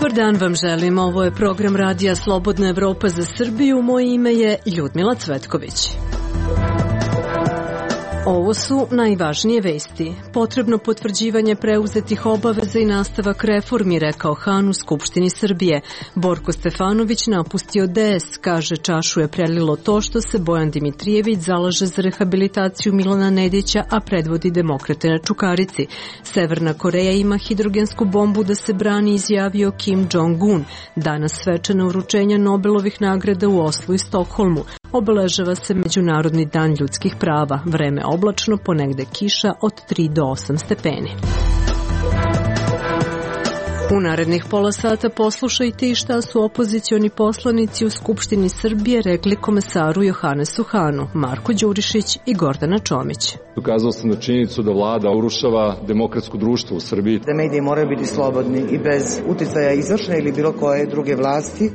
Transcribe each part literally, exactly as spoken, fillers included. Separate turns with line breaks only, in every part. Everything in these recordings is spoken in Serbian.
Dobar dan vam želim, ovo je program Radija Slobodna Evropa za Srbiju, moje ime je Ljudmila Cvetković. Ovo su najvažnije vesti. Potrebno potvrđivanje preuzetih obaveza i nastavak reformi, rekao Han u Skupštini Srbije. Borko Stefanović napustio D S, kaže čašu je prelilo to što se Bojan Dimitrijević zalaže za rehabilitaciju Milana Nedića, a predvodi demokrate na Čukarici. Severna Koreja ima hidrogensku bombu da se brani, izjavio Kim Jong-un. Danas svečano uručenje Nobelovih nagrada u Oslu i Stokholmu. Obeležava se Međunarodni dan ljudskih prava. Vreme oblačno, ponegde kiša od tri do osam stepeni. U narednih pola sata poslušajte i šta su opozicioni poslanici u Skupštini Srbije rekli komesaru Johanesu Hanu, Marko Đurišić i Gordana Čomić.
Ukazao sam na činjenicu da vlada urušava demokratsko društvo u Srbiji.
Da mediji moraju biti slobodni i bez uticaja izvršne ili bilo koje druge vlasti.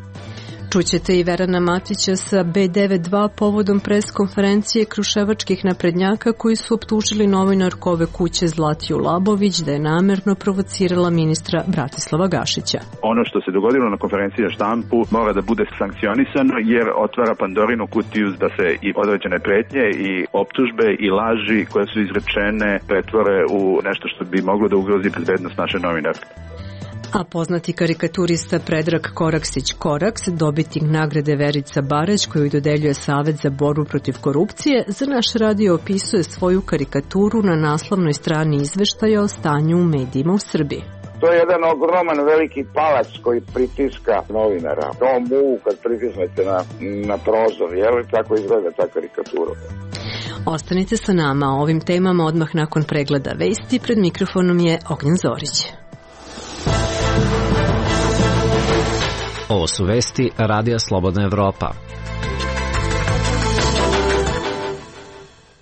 Čućete i Verana Matića sa B devedeset dva povodom preskonferencije kruševačkih naprednjaka koji su optužili novinarku ove kuće Zlatiju Labović da je namerno provocirala ministra Bratislava Gašića.
Ono što se dogodilo na konferenciji za štampu mora da bude sankcionisano jer otvara Pandorinu kutiju da se i određene pretnje i optužbe i laži koje su izrečene pretvore u nešto što bi moglo da ugrozi bezbednost naše novinarke.
A poznati karikaturista Predrag Koraksić-Koraks, dobitnik nagrade Verica Barać koju dodeljuje Savet za borbu protiv korupcije, za naš radio opisuje svoju karikaturu na naslovnoj strani izveštaja o stanju u medijima u Srbiji.
To je jedan ogroman veliki palac koji pritiska novinara. To muvu kad pritisnete na, na prozor, jel? Tako izgleda ta karikatura.
Ostanite sa nama o ovim temama odmah nakon pregleda vesti. Pred mikrofonom je Ognjen Zorić.
Ovo su vesti Radija Slobodna Evropa.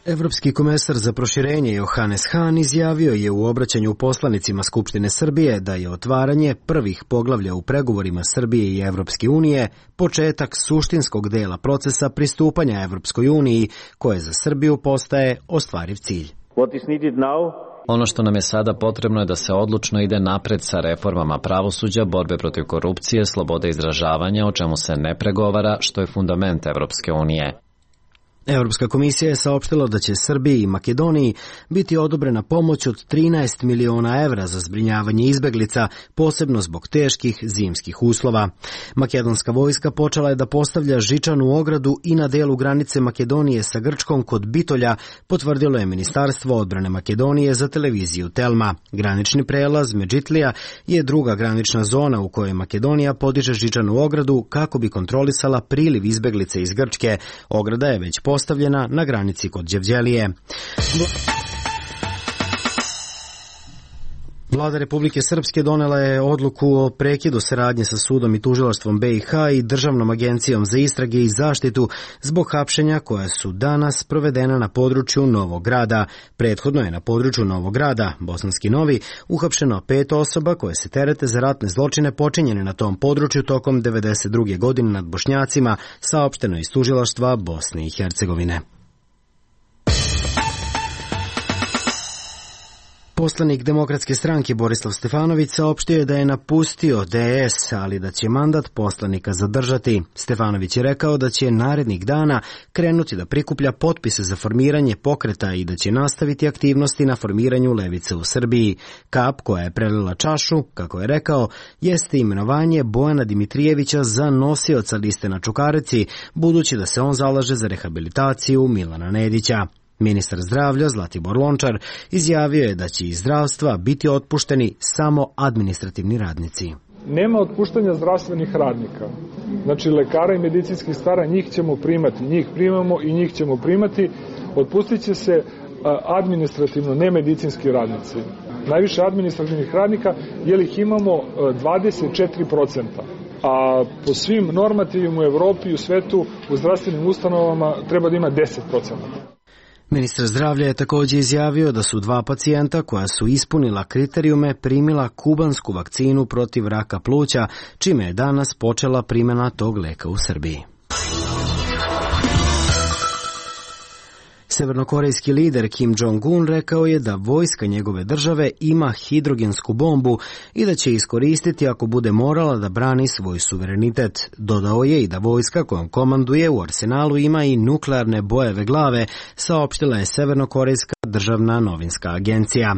Evropski komesar za proširenje Johanes Han izjavio je u obraćanju poslanicima Skupštine Srbije da je otvaranje prvih poglavlja u pregovorima Srbije i Evropske unije početak suštinskog dela procesa pristupanja Evropskoj uniji, koje za Srbiju postaje ostvariv cilj.
What is needed now?
Ono što nam je sada potrebno je da se odlučno ide napred sa reformama pravosuđa, borbe protiv korupcije, slobode izražavanja, o čemu se ne pregovara, što je fundament Evropske unije. Evropska komisija je saopštila da će Srbiji i Makedoniji biti odobrena pomoć od trinaest miliona evra za zbrinjavanje izbeglica, posebno zbog teških zimskih uslova. Makedonska vojska počela je da postavlja žičanu ogradu i na delu granice Makedonije sa Grčkom kod Bitolja, potvrdilo je Ministarstvo odbrane Makedonije za televiziju Telma. Granični prelaz Medžitlija je druga granična zona u kojoj Makedonija podiže žičanu ogradu kako bi kontrolisala priliv izbeglice iz Grčke. Ograda je već postavljena na granici kod Đevđelije. Vlada Republike Srpske donela je odluku o prekidu saradnje sa sudom i tužilaštvom B i H i Državnom agencijom za istrage i zaštitu zbog hapšenja koja su danas provedena na području Novog Grada. Prethodno je na području Novog Grada, Bosanski Novi, uhapšeno pet osoba koje se terete za ratne zločine počinjene na tom području tokom devedeset druge godine nad Bošnjacima, saopšteno iz tužilaštva Bosne i Hercegovine. Poslanik Demokratske stranke Borislav Stefanović saopštio je da je napustio D S, ali da će mandat poslanika zadržati. Stefanović je rekao da će narednih dana krenuti da prikuplja potpise za formiranje pokreta i da će nastaviti aktivnosti na formiranju levice u Srbiji. Kap koja je prelila čašu, kako je rekao, jeste imenovanje Bojana Dimitrijevića za nosioca liste na Čukarici, budući da se on zalaže za rehabilitaciju Milana Nedića. Ministar zdravlja Zlatibor Lončar izjavio je da će iz zdravstva biti otpušteni samo administrativni radnici.
Nema otpuštanja zdravstvenih radnika. Znači lekara i medicinskih stara, njih ćemo primati, njih primamo i njih ćemo primati. Otpustit će se administrativno, ne medicinski radnici. Najviše administrativnih radnika, jer ih imamo dvadeset četiri procenta. A po svim normativima u Evropi i u svetu u zdravstvenim ustanovama treba da ima deset procenta.
Ministar zdravlja je također izjavio da su dva pacijenta koja su ispunila kriterijume primila kubansku vakcinu protiv raka pluća, čime je danas počela primjena tog leka u Srbiji.
Severnokorejski lider Kim Jong-un rekao je da vojska njegove države ima hidrogensku bombu i da će iskoristiti ako bude morala da brani svoj suverenitet. Dodao je i da vojska kojom komanduje u arsenalu ima i nuklearne bojeve glave, saopštila je Severnokorejska državna novinska agencija.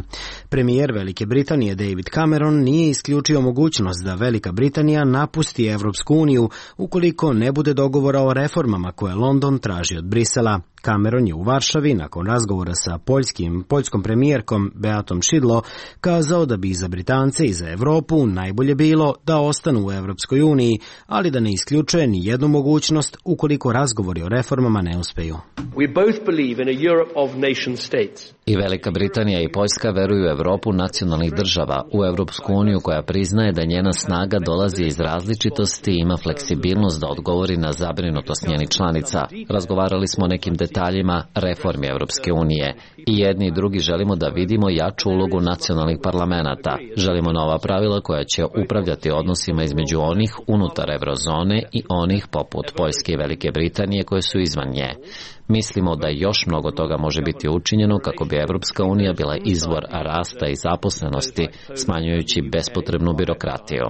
Premijer Velike Britanije David Cameron nije isključio mogućnost da Velika Britanija napusti Evropsku uniju ukoliko ne bude dogovora o reformama koje London traži od Brisela. Cameron je u Varšavi nakon razgovora sa poljskim, poljskom premijerkom Beatom Šidlo kazao da bi za Britance i za Evropu najbolje bilo da ostanu u Evropskoj uniji, ali da ne isključuje ni jednu mogućnost ukoliko razgovori o reformama ne uspeju.
We both believe in a Europe of nation states.
I Velika Britanija i Poljska veruju u Evropu nacionalnih država, u Evropsku uniju koja priznaje da njena snaga dolazi iz različitosti i ima fleksibilnost da odgovori na zabrinutost njenih članica. Razgovarali smo o nekim detaljima reformi Evropske unije. I jedni i drugi želimo da vidimo jaču ulogu nacionalnih parlamenata. Želimo nova pravila koja će upravljati odnosima između onih unutar eurozone i onih poput Poljske i Velike Britanije koje su izvan nje. Mislimo da još mnogo toga može biti učinjeno kako bi Evropska unija bila izvor rasta i zaposlenosti, smanjujući bespotrebnu birokratiju.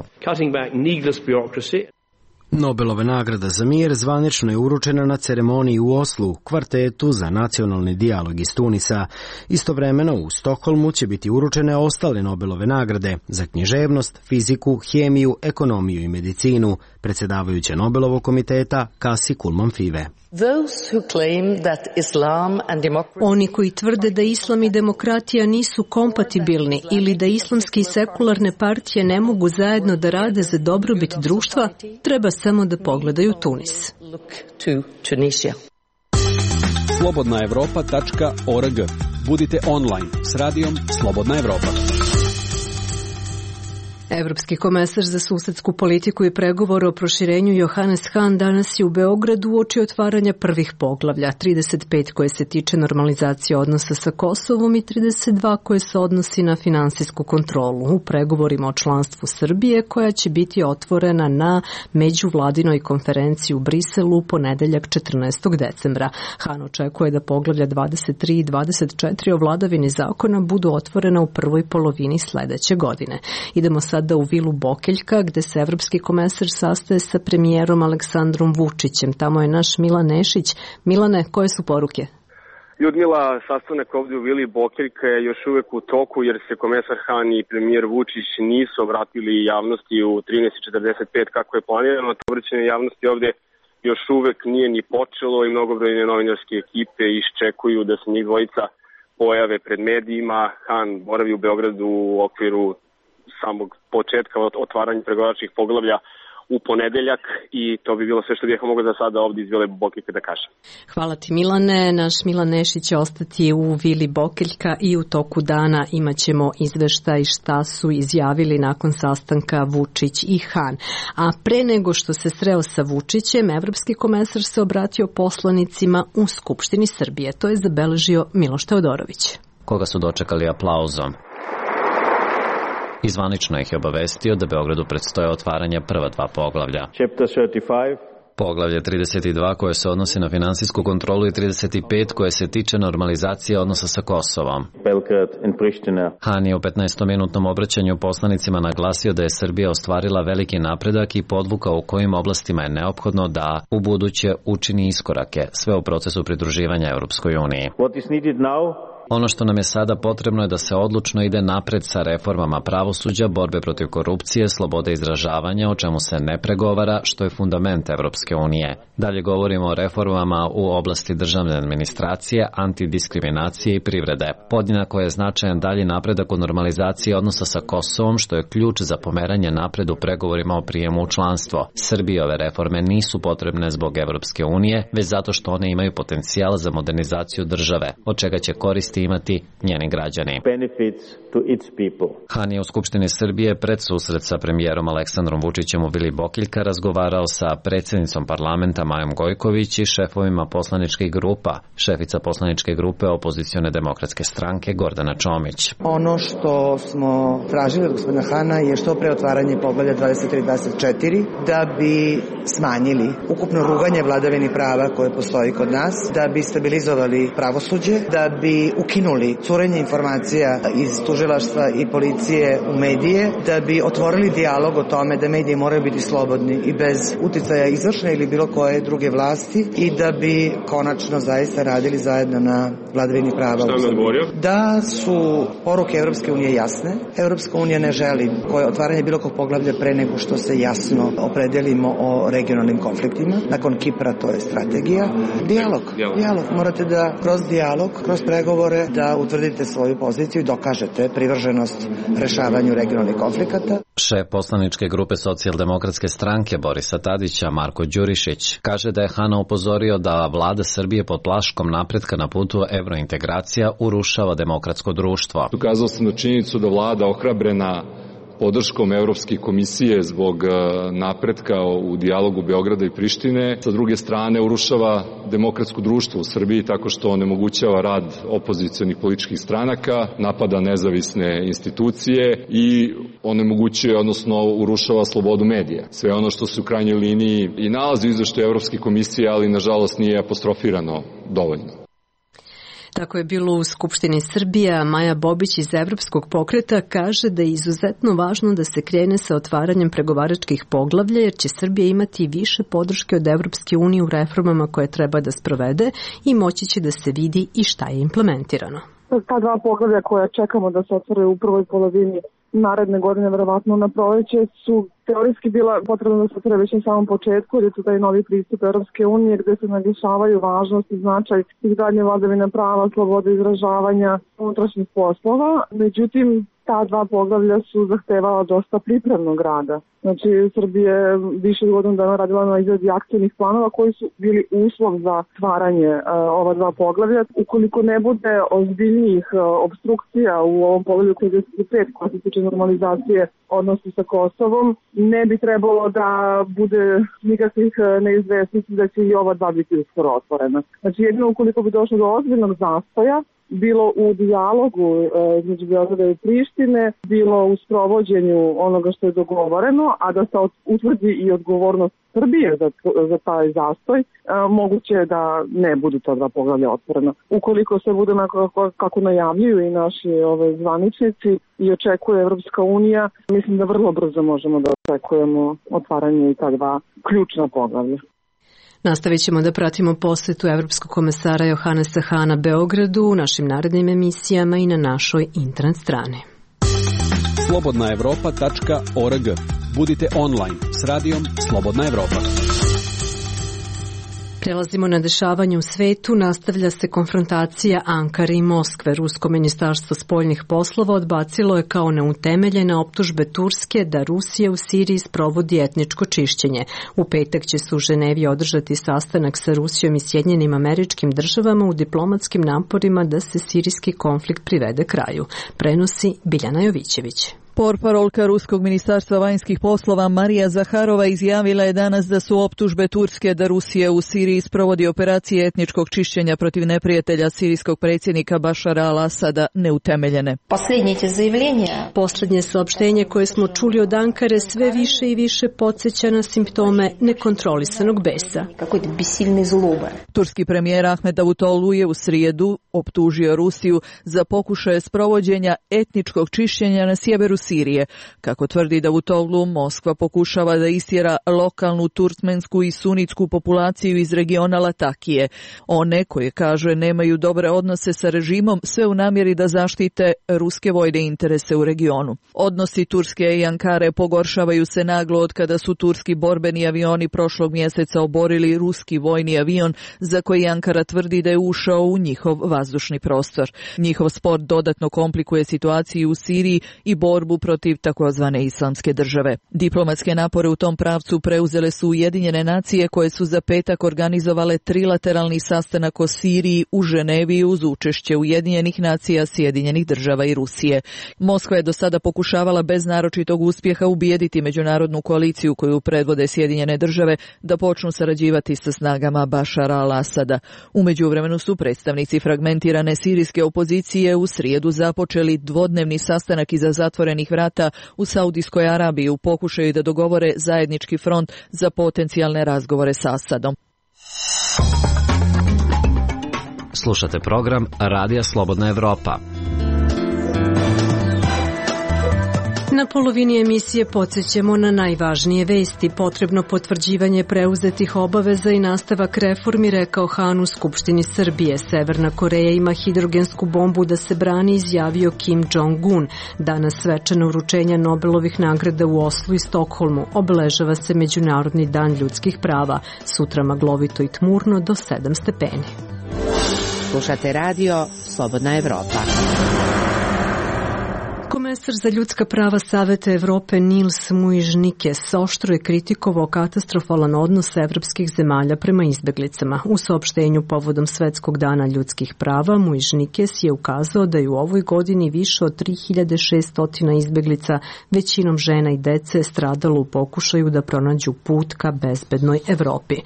Nobelova nagrada za mir zvanično je uručena na ceremoniji u Oslu, kvartetu za nacionalni dijalog iz Tunisa. Istovremeno u Stokholmu će biti uručene ostale Nobelove nagrade za književnost, fiziku, hemiju, ekonomiju i medicinu, predsjedavajuća Nobelovog komiteta Kasi Kulman Five.
Oni koji tvrde da islam i demokratija nisu kompatibilni ili da islamske i sekularne partije ne mogu zajedno da rade za dobrobit društva, treba samo da pogledaju Tunis.
slobodna evropa tačka org. Budite online s radijom Slobodna Evropa.
Evropski komesar za susedsku politiku i pregovore o proširenju Johannes Hahn danas je u Beogradu uoči otvaranja prvih poglavlja, trideset pet koje se tiče normalizacije odnosa sa Kosovom i trideset dva koje se odnosi na finansijsku kontrolu u pregovorima o članstvu Srbije koja će biti otvorena na međuvladinoj konferenciji u Briselu u ponedeljak četrnaestog decembra. Hahn očekuje da poglavlja dvadeset tri i dvadeset četiri o vladavini zakona budu otvorena u prvoj polovini sledeće godine. Idemo sa sada u vilu Bokeljka, gde se evropski komesar sastaje sa premijerom Aleksandrom Vučićem. Tamo je naš Milan Nešić. Milane, koje su poruke?
Ljudmila, sastanak ovdje u vili Bokeljka je još uvek u toku jer se komesar Hahn i premijer Vučić nisu obratili javnosti u trinaest četrdeset pet kako je planirano. To obraćanje javnosti ovdje još uvek nije ni počelo i mnogobrojne novinarske ekipe iščekuju da se njih dvojica pojave pred medijima. Hahn boravi u Beogradu u okviru samog početka otvaranja pregovaračkih poglavlja u ponedeljak i to bi bilo sve što bih mogao za sada ovdje iz Vile Bokeljka da kažem.
Hvala ti Milane. Naš Milan Nešić će ostati u Vili Bokeljka i u toku dana imat ćemo izveštaj šta su izjavili nakon sastanka Vučić i Hahn. A pre nego što se sreo sa Vučićem, evropski komesar se obratio poslanicima u Skupštini Srbije. To je zabeležio Miloš Teodorović.
Koga su dočekali aplauzom. I zvanično ih je obavestio da Beogradu predstoje otvaranje prva dva poglavlja. Poglavlje trideset dva koje se odnosi na finansijsku kontrolu i trideset pet koje se tiče normalizacije odnosa sa Kosovom. Hahn je u petnaestominutnom obraćanju poslanicima naglasio da je Srbija ostvarila veliki napredak i podvukao u kojim oblastima je neophodno da u buduće učini iskorake, sve u procesu pridruživanja Europskoj uniji. Ono što nam je sada potrebno je da se odlučno ide napred sa reformama pravosuđa, borbe protiv korupcije, slobode izražavanja, o čemu se ne pregovara, što je fundament Evropske unije. Dalje govorimo o reformama u oblasti državne administracije, antidiskriminacije i privrede. Podjednako je značajan dalji napredak u normalizaciji odnosa sa Kosovom, što je ključ za pomeranje napred u pregovorima o prijemu u članstvo. Srbiji ove reforme nisu potrebne zbog Evropske unije, već zato što one imaju potencijal za modernizaciju države, od čega će koristiti koristi imati njeni građani. Han je u Skupštini Srbije pred susret sa premijerom Aleksandrom Vučićem u Vili Bokeljka razgovarao sa predsjednicom parlamenta Majom Gojković i šefovima poslaničkih grupa. Šefica poslaničke grupe opozicione demokratske stranke Gordana Čomić.
Ono što smo tražili od gospodina Hana je što pre otvaranje poglavlja dvadeset tri dvadeset četiri da bi smanjili ukupno ruganje vladavini prava koje postoji kod nas, da bi stabilizovali pravosuđe, da bi ukinuli curenje informacija iz tužilaštva i policije u medije, da bi otvorili dijalog o tome da mediji moraju biti slobodni i bez uticaja izvršne ili bilo koje druge vlasti i da bi konačno zaista radili zajedno na vladavini prava.
Šta mi odgovorio?
Da su poruke Evropske unije jasne. Evropska unija ne želi koje otvaranje bilo kog poglavlja pre nego što se jasno opredelimo o regionalnim konfliktima. Nakon Kipra to je strategija. Dijalog. Dijalog. Dijalog. Morate da kroz dijalog, kroz pregovore da utvrdite svoju poziciju i dokažete privrženost rešavanju regionalnih konflikata.
Šef poslaničke grupe Socijaldemokratske stranke Borisa Tadića Marko Đurišić kaže da je Hana upozorio da vlada Srbije pod plaškom napretka na putu evrointegracija urušava demokratsko društvo.
Ukazao sam na činjenicu da vlada ohrabrena podrškom Evropske komisije zbog napretka u dijalogu Beograda i Prištine, sa druge strane urušava demokratsko društvo u Srbiji tako što onemogućava rad opozicionih političkih stranaka, napada nezavisne institucije i onemogućuje, odnosno urušava slobodu medija. Sve ono što se u krajnjoj liniji i nalazi u izveštaju Evropske komisije, ali nažalost nije apostrofirano dovoljno.
Tako je bilo u Skupštini Srbije. Maja Bobić iz Evropskog pokreta kaže da je izuzetno važno da se krene sa otvaranjem pregovaračkih poglavlja, jer će Srbija imati više podrške od Evropske unije u reformama koje treba da sprovede i moći će da se vidi i šta je implementirano.
Ta dva poglavlja koja čekamo da se otvore u prvoj polovini naredne godine, verovatno na proleće, su teorijski bila potrebno da se otvore već na samom početku, jer je to taj novi pristup Evropske unije gde se naglašavaju važnost i značaj izgradnje vladavine prava, slobode izražavanja, unutrašnjih poslova. Međutim, ta dva poglavlja su zahtevala dosta pripremnog rada. Znači, Srbija je više od godinu dana radila na izradi akcijnih planova koji su bili uslov za stvaranje uh, ova dva poglavlja. Ukoliko ne bude ozbiljnijih uh, obstrukcija u ovom poglavlju trideset pet koja se tiče normalizacije odnosa sa Kosovom, ne bi trebalo da bude nikakvih uh, neizvesnosti da će i ova dva biti uskoro otvorena. Znači, jedino ukoliko bi došlo do ozbiljnog zastoja, bilo u dijalogu između Beograda i Prištine, bilo u sprovođenju onoga što je dogovoreno, a da se utvrdi i odgovornost Srbije za, za taj zastoj, a, moguće je da ne budu ta dva poglavlja otvorena. Ukoliko se bude kako, kako najavljuju i naši ove zvaničnici i očekuje Evropska unija, mislim da vrlo brzo možemo da očekujemo otvaranje i ta dva ključna poglavlja.
Nastavit ćemo da pratimo posjetu Evropskog komesara Johanesa Hana Beogradu u našim narednim emisijama i na našoj internet strani.
slobodna evropa tačka org. Budite online s radijom Slobodna Evropa.
Prelazimo na dešavanje u svetu. Nastavlja se konfrontacija Ankare i Moskve. Rusko ministarstvo spoljnih poslova odbacilo je kao neutemeljene optužbe Turske da Rusija u Siriji sprovodi etničko čišćenje. U petak će se u Ženevi održati sastanak sa Rusijom i Sjedinjenim Američkim Državama u diplomatskim naporima da se sirijski konflikt privede kraju. Prenosi Biljana Jovićević.
Portparolka Ruskog ministarstva vanjskih poslova Marija Zaharova izjavila je danas da su optužbe Turske da Rusija u Siriji sprovodi operacije etničkog čišćenja protiv neprijatelja sirijskog predsjednika Bašara al-Asada neutemeljene.
Poslednje saopštenje koje smo čuli od Ankare sve više i više podsjeća na simptome nekontrolisanog besa.
Turski premijer Ahmed Davutoglu je u srijedu optužio Rusiju za pokušaje sprovođenja etničkog čišćenja na sjeveru Sirije. Kako tvrdi Davutoglu, Moskva pokušava da istjera lokalnu turkmensku i sunitsku populaciju iz regiona Latakije. One koje, kaže, nemaju dobre odnose sa režimom, sve u namjeri da zaštite ruske vojne interese u regionu. Odnosi Turske i Ankare pogoršavaju se naglo od kada su turski borbeni avioni prošlog mjeseca oborili ruski vojni avion za koji Ankara tvrdi da je ušao u njihov vazdušni prostor. Njihov spor dodatno komplikuje situaciju u Siriji i borbu borbu protiv takozvane islamske države. Diplomatske napore u tom pravcu preuzele su Ujedinjene nacije koje su za petak organizovale trilateralni sastanak o Siriji u Ženevi uz učešće Ujedinjenih nacija, Sjedinjenih država i Rusije. Moskva je do sada pokušavala bez naročitog uspjeha ubijediti međunarodnu koaliciju koju predvode Sjedinjene države da počnu sarađivati sa snagama Bašara al-Asada. U međuvremenu su predstavnici fragmentirane sirijske opozicije u srijedu započeli dvodnevni sastanak iza zatvorenih vrata u Saudijskoj Arabiji u pokušaju da dogovore zajednički front za potencijalne razgovore sa Asadom.
Slušate program Radija Slobodna Evropa.
Na polovini emisije podsjećamo na najvažnije vesti. Potrebno potvrđivanje preuzetih obaveza i nastavak reformi, rekao Han u Skupštini Srbije. Severna Koreja ima hidrogensku bombu da se brani, izjavio Kim Jong-un. Danas svečano uručenja Nobelovih nagrada u Oslu i Stokholmu. Obeležava se Međunarodni dan ljudskih prava. Sutra maglovito i tmurno do sedam stepeni.
Slušate radio Slobodna Evropa.
Komesar za ljudska prava Saveta Evrope Nils Muižnikes oštro je kritikovao katastrofalan odnos evropskih zemalja prema izbeglicama. U saopštenju povodom Svetskog dana ljudskih prava Muižnikes je ukazao da je u ovoj godini više od tri hiljade šesto izbeglica, većinom žena i dece, stradalo u pokušaju da pronađu put ka bezbednoj Evropi.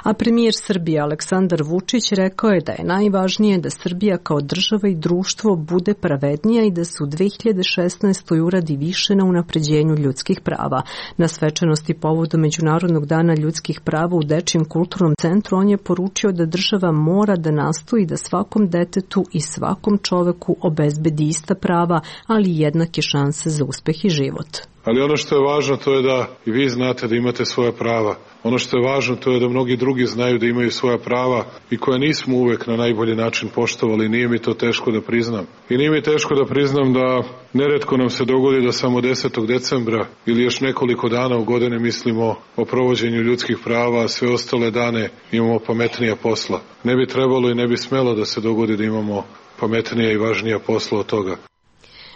A premijer Srbije Aleksandar Vučić rekao je da je najvažnije da Srbija kao država i društvo bude pravednija i da se u dve hiljade šesnaestoj uradi više na unapređenju ljudskih prava. Na svečanosti povodom Međunarodnog dana ljudskih prava u Dečijem kulturnom centru on je poručio da država mora da nastoji da svakom detetu i svakom čoveku obezbedi ista prava, ali i jednake šanse za uspeh i život.
Ali ono što je važno to je da i vi znate da imate svoja prava. Ono što je važno to je da mnogi drugi znaju da imaju svoja prava i koja nismo uvek na najbolji način poštovali. Nije mi to teško da priznam. I nije mi teško da priznam da neretko nam se dogodi da samo desetog decembra ili još nekoliko dana u godine mislimo o provođenju ljudskih prava, a sve ostale dane imamo pametnija posla. Ne bi trebalo i ne bi smelo da se dogodi da imamo pametnija i važnija posla od toga.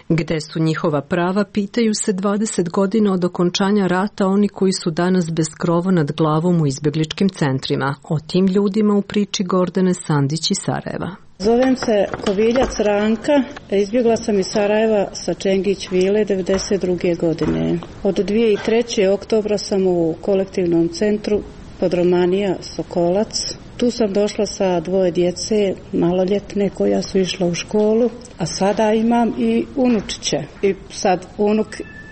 Gde su njihova prava, pitaju se dvadeset godina od okončanja rata oni koji su danas bez krova nad glavom u izbegličkim centrima. O tim ljudima u priči Gordane Sandić iz Sarajeva.
Zovem se Koviljac Ranka, izbjegla sam iz Sarajeva sa Čengić Vile devedeset druge godine. Od dvije hiljade treće. oktobra sam u kolektivnom centru Podromanija Sokolac. Tu sam došla sa dvoje djece, maloljetne koja su išla u školu, a sada imam i unučiće. I sad unuk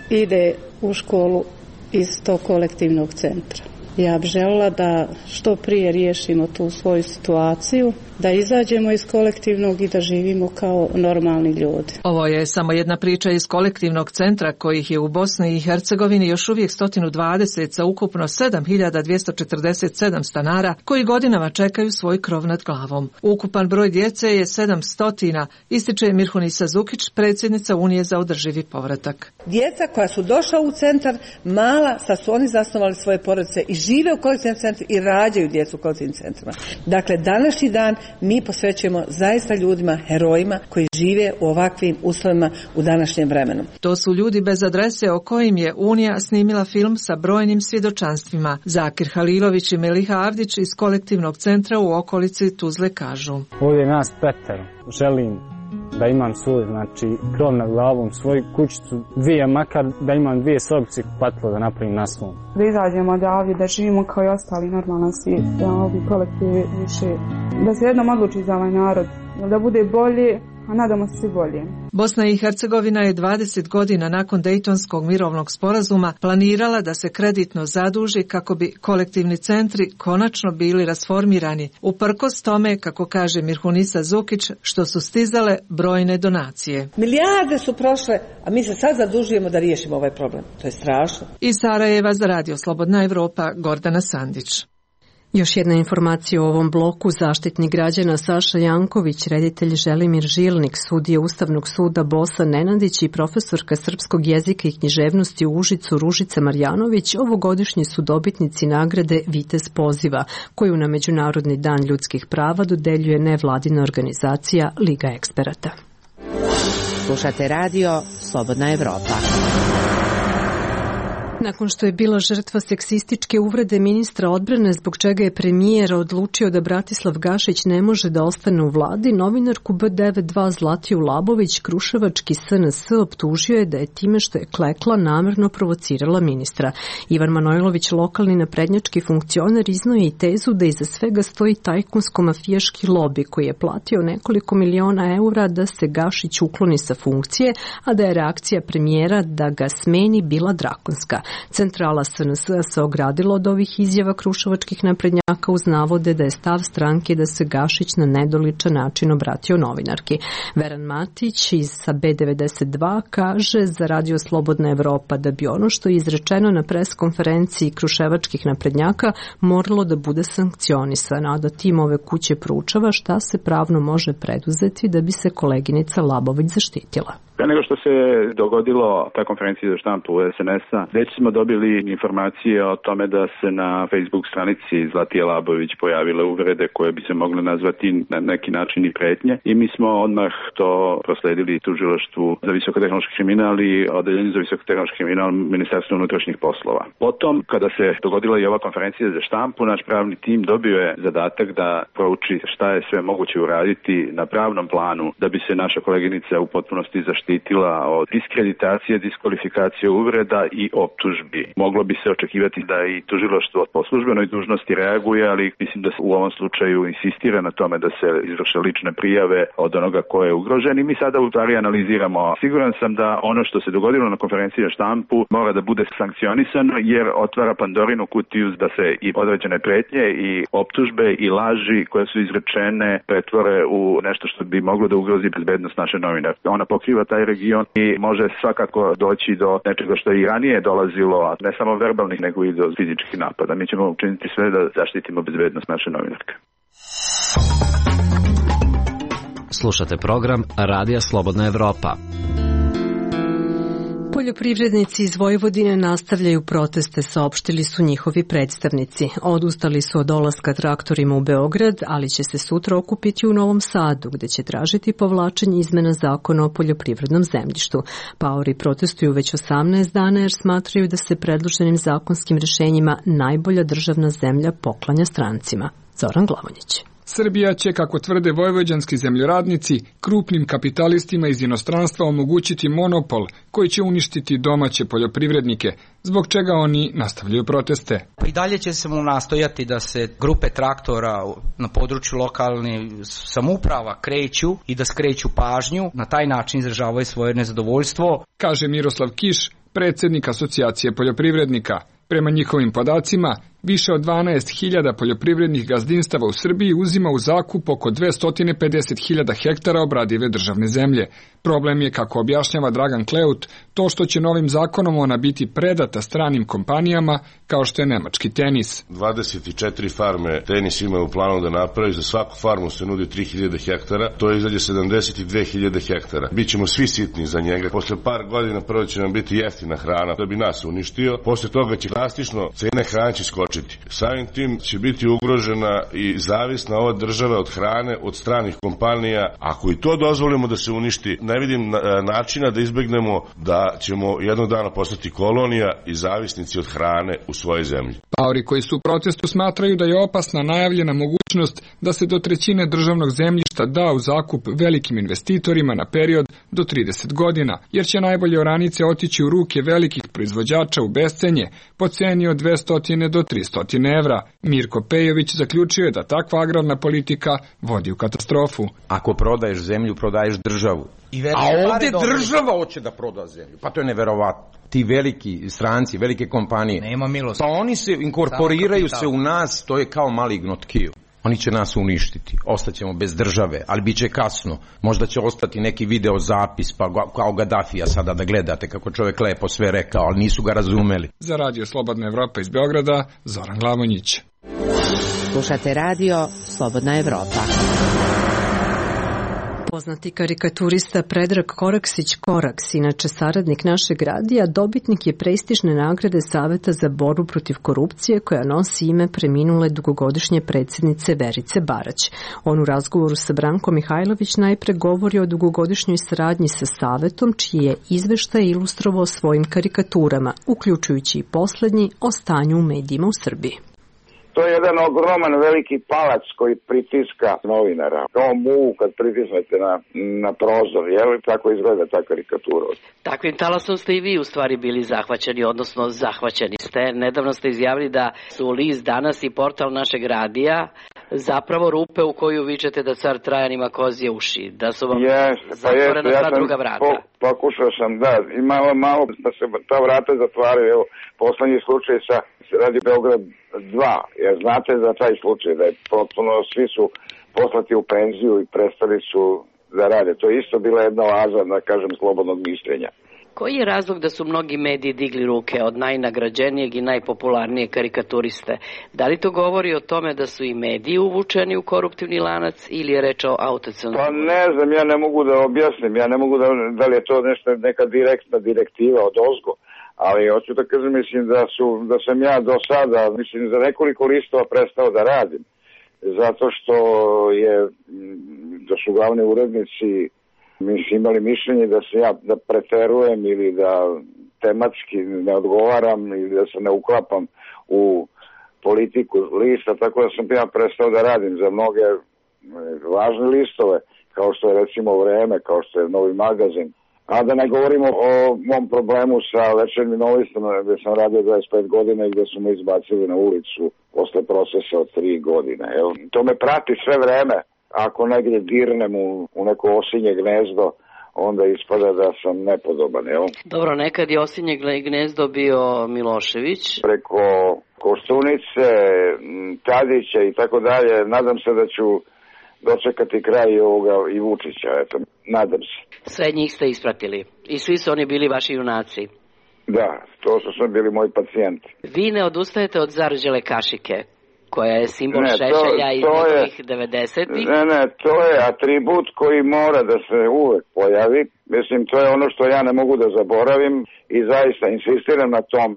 ide u školu iz tog kolektivnog centra. Ja bih željela da što prije riješimo tu svoju situaciju, da izađemo iz kolektivnog i da živimo kao normalni ljudi.
Ovo je samo jedna priča iz kolektivnog centra kojih je u Bosni i Hercegovini još uvijek sto dvadeset sa ukupno sedam hiljada dvjesto četrdeset sedam stanara koji godinama čekaju svoj krov nad glavom. Ukupan broj djece je sedamsto, ističe Mirhunisa Zukić, predsjednica Unije za održivi povratak.
Djeca koja su došla u centar, mala, sad su oni zasnovali svoje porodice i žive u kolektivnom centru i rađaju djecu u kolektivnim centrima. Dakle, današnji dan mi posvećujemo zaista ljudima, herojima koji žive u ovakvim uslovima u današnjem vremenu.
To su ljudi bez adrese o kojim je Unija snimila film sa brojnim svjedočanstvima. Zakir Halilović i Meliha Avdić iz kolektivnog centra u okolici Tuzle kažu.
Ovdje nas petero. Želim da imam svoj, znači, krov nad glavom, svoju kućicu, dvije, makar da imam dvije sobice patlo da napravim na svom.
Da izađemo odavdje, da živimo kao i ostali normalan svijet, da ovi kolektivi više, da se jednom odluči za ovaj narod, da bude bolje, a nadamo se bolje.
Bosna i Hercegovina je dvadeset godina nakon Dejtonskog mirovnog sporazuma planirala da se kreditno zaduži kako bi kolektivni centri konačno bili rasformirani, uprkos tome, kako kaže Mirhunisa Zukić, što su stizale brojne donacije.
Milijarde su prošle, a mi se sad zadužujemo da riješimo ovaj problem. To je strašno.
Iz Sarajeva za Radio Slobodna Evropa, Gordana Sandić.
Još jedna informacija o ovom bloku. Zaštitnik građana Saša Janković, reditelj Želimir Žilnik, sudija Ustavnog suda Bosa Nenadić i profesorka srpskog jezika i književnosti u Užicu Ružica Marjanović ovogodišnji su dobitnici nagrade Vitez poziva, koju na Međunarodni dan ljudskih prava dodeljuje nevladina organizacija Liga eksperata.
Slušate radio Slobodna Evropa.
Nakon što je bila žrtva seksističke uvrede ministra odbrane zbog čega je premijer odlučio da Bratislav Gašić ne može da ostane u vladi, novinarku B devedeset dva Zlatiju Labović kruševački S N S optužio je da je time što je klekla namerno provocirala ministra. Ivan Manojlović, lokalni naprednjački funkcioner, iznao je i tezu da iza svega stoji tajkunsko-mafijaški lobi koji je platio nekoliko miliona eura da se Gašić ukloni sa funkcije, a da je reakcija premijera da ga smeni bila drakonska. Centrala S N S se ogradila od ovih izjava kruševačkih naprednjaka uz navode da je stav stranke da se Gašić na nedoličan način obratio novinarki. Veran Matić iz sa B devedeset dva kaže za radio Slobodna Evropa da bi ono što je izrečeno na pres konferenciji kruševačkih naprednjaka moralo da bude sankcionisano, a da tim ove kuće proučava šta se pravno može preduzeti da bi se koleginica Labović zaštitila.
Pre nego što se dogodilo ta konferencija za štampu S N S-a, već smo dobili informacije o tome da se na Facebook stranici Zlatije Labović pojavile uvrede koje bi se mogle nazvati na neki način i pretnje. I mi smo odmah to prosledili tužilaštvu za visokotehnološki kriminal i odeljenju za visokotehnološki kriminal Ministarstva unutrašnjih poslova. Potom, kada se dogodila i ova konferencija za štampu, naš pravni tim dobio je zadatak da prouči šta je sve moguće uraditi na pravnom planu da bi se naša koleginica u potpunosti zaštitila štitila od diskreditacije, diskvalifikacije, uvreda i optužbi. Moglo bi se očekivati da i tužilaštvo po službenoj dužnosti reaguje, ali mislim da se u ovom slučaju insistira na tome da se izvrše lične prijave od onoga ko je ugrožen i mi sada u stvari analiziramo. Siguran sam da ono što se dogodilo na konferenciji na štampu mora da bude sankcionisano jer otvara Pandorinu kutiju da se i određene pretnje i optužbe i laži koje su izrečene pretvore u nešto što bi moglo da ugrozi bezbednost naše novinarke. Ona pokriva taj region i može svakako doći do nečega što je i ranije dolazilo, a ne samo verbalnih nego i do fizičkih napada. Mi ćemo učiniti sve da zaštitimo bezbednost naše novinarke.
Slušate program Radija Slobodna Evropa.
Poljoprivrednici iz Vojvodine nastavljaju proteste, saopštili su njihovi predstavnici. Odustali su od dolaska traktorima u Beograd, ali će se sutra okupiti u Novom Sadu, gde će tražiti povlačenje izmena zakona o poljoprivrednom zemljištu. Paori protestuju već osamnaest dana jer smatraju da se predloženim zakonskim rešenjima najbolja državna zemlja poklanja strancima. Zoran Glavonjić.
Srbija će, kako tvrde vojvođanski zemljoradnici, krupnim kapitalistima iz inostranstva omogućiti monopol koji će uništiti domaće poljoprivrednike, zbog čega oni nastavljaju proteste.
Pa i dalje će se mu nastojati da se grupe traktora na području lokalnih samouprava kreću i da skreću pažnju, na taj način izražavaju svoje nezadovoljstvo.
Kaže Miroslav Kiš, predsjednik Asocijacije poljoprivrednika. Prema njihovim podacima, više od dvanaest hiljada poljoprivrednih gazdinstava u Srbiji uzima u zakup oko dvesta pedeset hiljada hektara obradive državne zemlje. Problem je, kako objašnjava Dragan Kleut, to što će novim zakonom ona biti predata stranim kompanijama kao što je nemački Tenis.
dvadeset četiri farme Tenis ima u planu da napravi, za svaku farmu se nudi tri hiljade hektara, to je izađe sedamdeset dve hiljade hektara. Bićemo svi sitni za njega. Posle par godina prvo će nam biti jeftina hrana da bi nas uništio, posle toga će drastično cene hrane će skočiti. Samim tim će biti ugrožena i zavisna ova država od hrane, od stranih kompanija. Ako i to dozvolimo da se uništi, ne vidim načina da izbegnemo da ćemo jednog dana postati kolonija i zavisnici od hrane u svojoj zemlji.
Paori koji su u protestu smatraju da je opasna najavljena mogućnost da se do trećine državnog zemljišta da u zakup velikim investitorima na period do trideset godina, jer će najbolje oranice otići u ruke velikih proizvođača u bescenje po ceni od dvesta do trista evra. Mirko Pejović zaključio je da takva agrarna politika vodi u katastrofu.
Ako prodaješ zemlju, prodaješ državu. A ovdje država hoće da proda zemlju. Pa to je neverovatno. Ti veliki stranci, velike kompanije.
Nema milosti.
Pa oni se inkorporiraju se u nas, to je kao maligno tkivo. Oni će nas uništiti, ostaćemo bez države, ali bit će kasno. Možda će ostati neki video zapis, pa kao Gaddafija sada da gledate kako čovjek lepo sve rekao, ali nisu ga razumeli.
Za Radio Slobodna Evropa iz Beograda, Zoran Glavonjić.
Slušate radio Slobodna Evropa.
Poznati karikaturista Predrag Koraksić-Koraks, inače saradnik našeg radija, dobitnik je prestižne nagrade Saveta za borbu protiv korupcije koja nosi ime preminule dugogodišnje predsjednice Verice Barać. On u razgovoru sa Brankom Mihajlović najpre govori o dugogodišnjoj saradnji sa Savetom, čiji je izveštaj ilustrovao svojim karikaturama, uključujući i poslednji o stanju u medijima u Srbiji.
To je jedan ogroman veliki palac koji pritiska novinara. Kao mu kad pritisnete na, na prozor, jel? Tako izgleda ta karikatura.
Takvim talasom ste i vi u stvari bili zahvaćeni, odnosno zahvaćeni ste. Nedavno ste izjavili da su List danas i portal našeg radija zapravo rupe u koju vičete da car Trajan ima kozije uši, da su vam yes, zatvorena pa sva ja druga vrata. Po,
pokušao sam, da, i malo, malo da se ta vrata zatvaraju. Evo, poslednji slučaj sa Radio Beograd dva, jer znate za taj slučaj da je potpuno svi su poslati u penziju i prestali su da rade. To je isto bila jedna oaza, da kažem, slobodnog mišljenja.
Koji je razlog da su mnogi mediji digli ruke od najnagrađenijeg i najpopularnijeg karikaturiste? Da li to govori o tome da su i mediji uvučeni u koruptivni lanac ili je reč o autocenzuri?
Pa ne znam, ja ne mogu da objasnim, ja ne mogu da, da li je to nešto, neka direktna direktiva od ozgo, ali hoću da kažem, mislim da, su, da sam ja do sada, mislim, za nekoliko listova prestao da radim, zato što je, da su glavni urednici mislim, imali mišljenje da se ja da preterujem ili da tematski ne odgovaram ili da se ne uklapam u politiku lista, tako da sam ja prestao da radim za mnoge važne listove, kao što je recimo Vreme, kao što je Novi magazin. A da ne govorimo o mom problemu sa Večernjim novistom, gde sam radio dvadeset pet godina i gde su me izbacili na ulicu posle procesa od tri godine. Evo, to me prati sve vreme. Ako negdje dirnem u, u neko osinje gnezdo, onda ispada da sam nepodoban, evo.
Dobro, nekad je osinje gnezdo bio Milošević.
Preko Koštunice, Tadića i tako dalje, nadam se da ću dočekati kraj ovoga i Vučića, eto, nadam se.
Sve njih ste ispratili i svi su oni bili vaši junaci.
Da, to su sve bili moji pacijenti.
Vi ne odustajete od zarđele kašike, koja je simbol ne, Šešelja iz nekih devedesetih.
Ne, ne, to je atribut koji mora da se uvek pojavi. Mislim, to je ono što ja ne mogu da zaboravim i zaista insistiram na tom.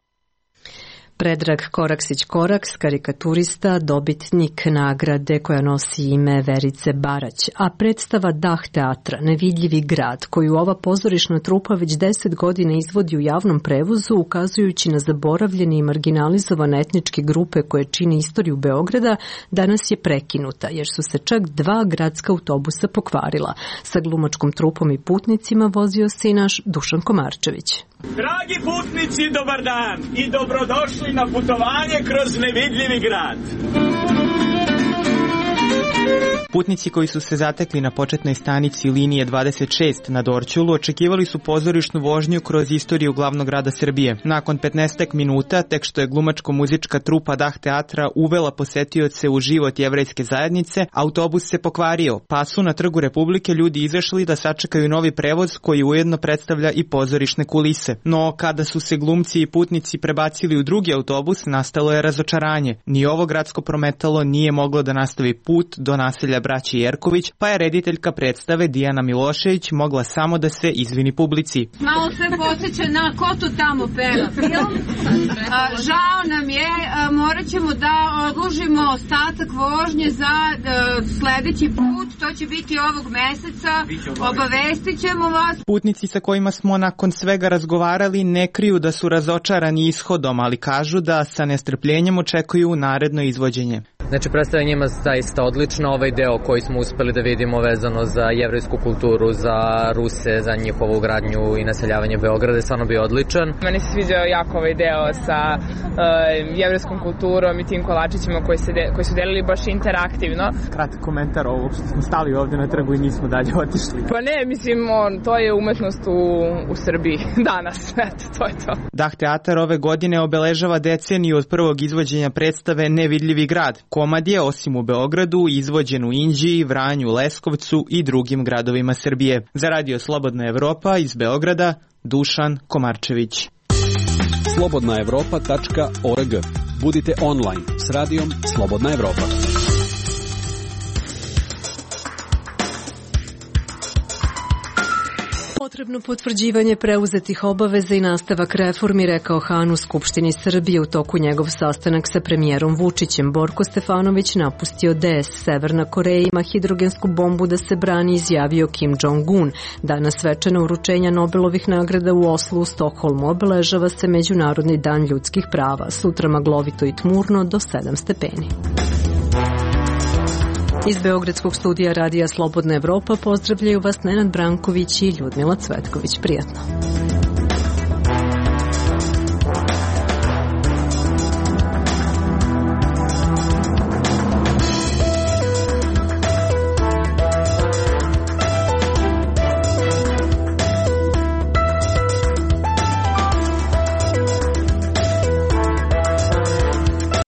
Predrag Koraksić-Koraks, karikaturista, dobitnik nagrade koja nosi ime Verice Barać, a predstava Dah teatra, Nevidljivi grad, koju ova pozorišna trupa već deset godina izvodi u javnom prevozu, ukazujući na zaboravljene i marginalizovane etničke grupe koje čine istoriju Beograda, danas je prekinuta, jer su se čak dva gradska autobusa pokvarila. Sa glumačkom trupom i putnicima vozio se i naš Dušan Komarčević.
Dragi putnici, dobar dan i dobrodošli na putovanje kroz nevidljivi grad.
Putnici koji su se zatekli na početnoj stanici linije dvadeset šest na Dorćolu očekivali su pozorišnu vožnju kroz istoriju glavnog grada Srbije. Nakon petnaestak minuta, tek što je glumačko-muzička trupa Dah teatra uvela posetioce u život jevrejske zajednice, autobus se pokvario, pa su na Trgu Republike ljudi izašli da sačekaju novi prevoz koji ujedno predstavlja i pozorišne kulise. No, kada su se glumci i putnici prebacili u drugi autobus, nastalo je razočaranje. Ni ovo gradsko prometalo nije moglo da nastavi put do naselja braći Jerković, pa je rediteljka predstave Dijana Milošević mogla samo da se izvini publici.
Malo sve podsjeća na ko to tamo peva film. A, žao nam je, a, morat ćemo da odložimo ostatak vožnje za a, sledeći put, to će biti ovog meseca, obavestit ćemo vas.
Putnici sa kojima smo nakon svega razgovarali ne kriju da su razočarani ishodom, ali kažu da sa nestrpljenjem očekuju naredno izvođenje.
Znači, predstava njima zaista odlična, ovaj deo koji smo uspeli da vidimo vezano za jevrejsku kulturu, za Ruse, za njihovu gradnju i naseljavanje Beograda je stvarno bio odličan.
Meni se sviđao jako ovaj deo sa uh, jevrejskom kulturom i tim kolačićima koji, se de, koji su delili baš interaktivno.
Kratak komentar ovog što smo stali ovdje na trgu i nismo dalje otišli.
Pa ne, mislim, on, to je umetnost u, u Srbiji danas, eto, to je to.
Dah teatar ove godine obeležava deceniju od prvog izvođenja predstave Nevidljivi grad. Komad je, osim u Beogradu, izvođen u Inđiji, Vranju, Leskovcu i drugim gradovima Srbije. Za Radio Slobodna Evropa iz Beograda, Dušan Komarčević.
slobodna evropa tačka org. Budite online s radijom Slobodna Evropa.
Potrebno potvrđivanje preuzetih obaveza i nastavak reformi, rekao Han u Skupštini Srbije u toku njegov sastanak sa premijerom Vučićem. Borko Stefanović napustio D S. Severna Koreja ima hidrogensku bombu da se brani, izjavio Kim Jong-un. Danas svečano uručenja Nobelovih nagrada u Oslu u Stokholmu obeležava se Međunarodni dan ljudskih prava. Sutra maglovito i tmurno do sedam stepeni. Iz Beogradskog studija Radija Slobodna Evropa pozdravljaju vas Nenad Branković i Ljudmila Cvetković. Prijatno.